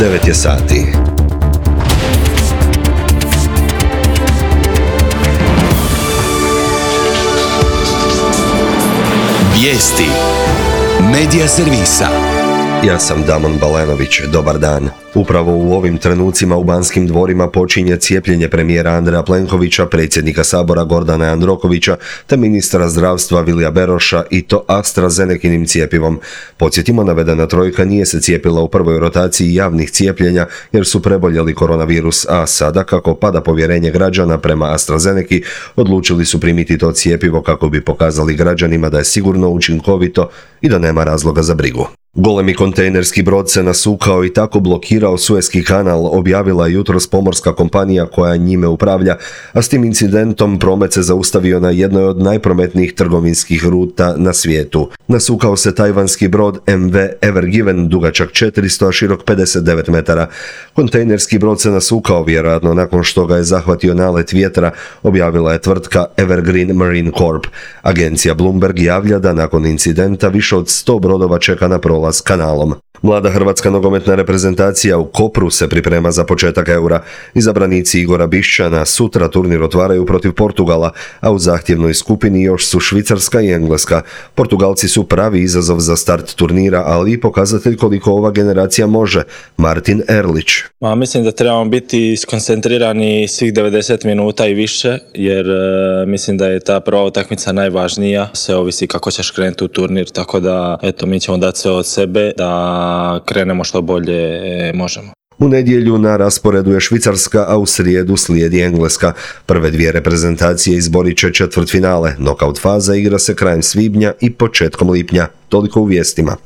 9 je sati. Vijesti Medija servisa. Ja sam Damon Balenović, dobar dan. Upravo u ovim trenucima u Banskim dvorima počinje cijepljenje premijera Andreja Plenkovića, predsjednika Sabora Gordana Jandrokovića te ministra zdravstva Vilija Beroša i to AstraZenekinim cijepivom. Podsjetimo, navedena trojka nije se cijepila u prvoj rotaciji javnih cijepljenja jer su preboljeli koronavirus, a sada kako pada povjerenje građana prema AstraZeneki, odlučili su primiti to cijepivo kako bi pokazali građanima da je sigurno, učinkovito i da nema razloga za brigu. Golemi kontejnerski brod se nasukao i tako blokirao Sueski kanal, objavila jutros pomorska kompanija koja njime upravlja, a s tim incidentom promet se zaustavio na jednoj od najprometnijih trgovinskih ruta na svijetu. Nasukao se tajvanski brod MV Ever Given, dugačak 400, a širok 59 metara. Kontejnerski brod se nasukao vjerojatno nakon što ga je zahvatio nalet vjetra, objavila je tvrtka Evergreen Marine Corp. Agencija Bloomberg javlja da nakon incidenta više od 100 brodova čeka na prolaz kanalom. Mlada hrvatska nogometna reprezentacija u Kopru se priprema za početak Eura. Izabranici Igora Bišćana sutra turnir otvaraju protiv Portugala, a u zahtjevnoj skupini još su Švicarska i Engleska. Portugalci su pravi izazov za start turnira, ali i pokazatelj koliko ova generacija može. Martin Erlić. Mislim da trebamo biti skoncentrirani svih 90 minuta i više, jer mislim da je ta prva utakmica najvažnija. Sve ovisi kako ćeš krenuti u turnir, tako da mi ćemo dati sve od sebe da krenemo što bolje možemo. U nedjelju na rasporedu je Švicarska, a u srijedu slijedi Engleska. Prve dvije reprezentacije izborit će četvrtfinale. Nokaut faza igra se krajem svibnja i početkom lipnja. Toliko u vijestima.